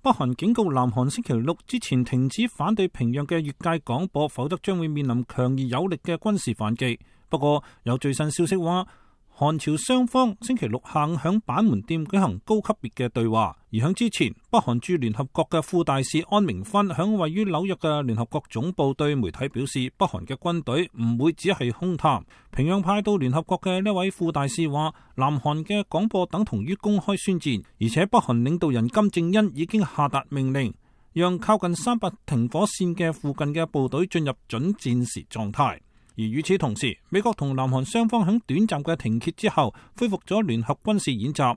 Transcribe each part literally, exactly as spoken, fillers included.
北韓警告南韓星期六之前停止反對平壤嘅越界廣播，否則將會面臨強而有力嘅軍事反擊。不過有最新消息話，韓朝雙方星期六下午響板門店舉行高級別嘅對話，而響之前，北韓駐聯合國嘅副大使安明勳響位於紐約嘅聯合國總部對媒體表示，北韓嘅軍隊唔會只係空談。平壤派到聯合國嘅呢位副大使話，南韓嘅廣播等同於公開宣戰，而且北韓領導人金正恩已經下達命令，讓靠近三八停火線嘅附近嘅部隊進入準戰時狀態。而與此同時，美國同南韓雙方喺短暫嘅停歇之後，恢復咗聯合軍事演習。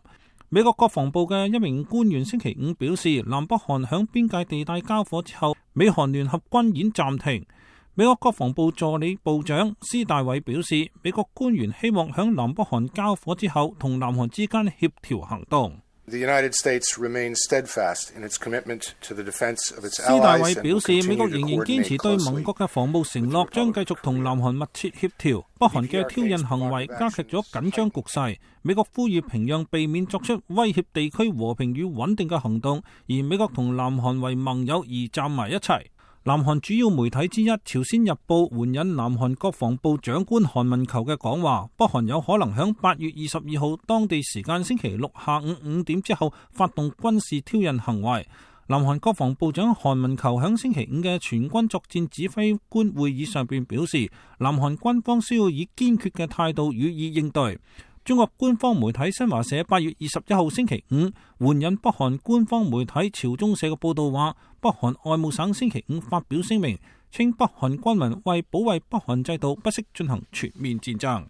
美國國防部嘅一名官員星期五表示，南北韓喺邊界地帶交火之後，美韓聯合軍演暫停。美國國防部助理部長施大偉表示，美國官員希望喺南北韓交火之後，同南韓之間協調行動。The United States remains steadfast in its commitment to the defense of its allies. 施大偉表示，美國仍然堅持對盟國嘅防務承諾，將繼續同南韓密切協調。北韓嘅挑釁行為加劇咗緊張局勢，美國呼籲平壤避免作出威脅地區和平與穩定嘅行動，而美國同南韓為盟友而站埋一齊。南韓主要媒體之一《朝鮮日報》援引南韓國防部長官韓文球嘅講話，北韓有可能喺八月二十二號當地時間星期六下午五點之後發動軍事挑釁行為。南韓國防部長韓文球喺星期五嘅全軍作戰指揮官會議上邊表示，南韓軍方需要以堅決嘅態度予以應對。中國官方媒體新華社八月二十一號星期五援引北韓官方媒體朝中社嘅報道話，北韓外務省星期五發表聲明，稱北韓軍民為保衛北韓制度不惜進行全面戰爭。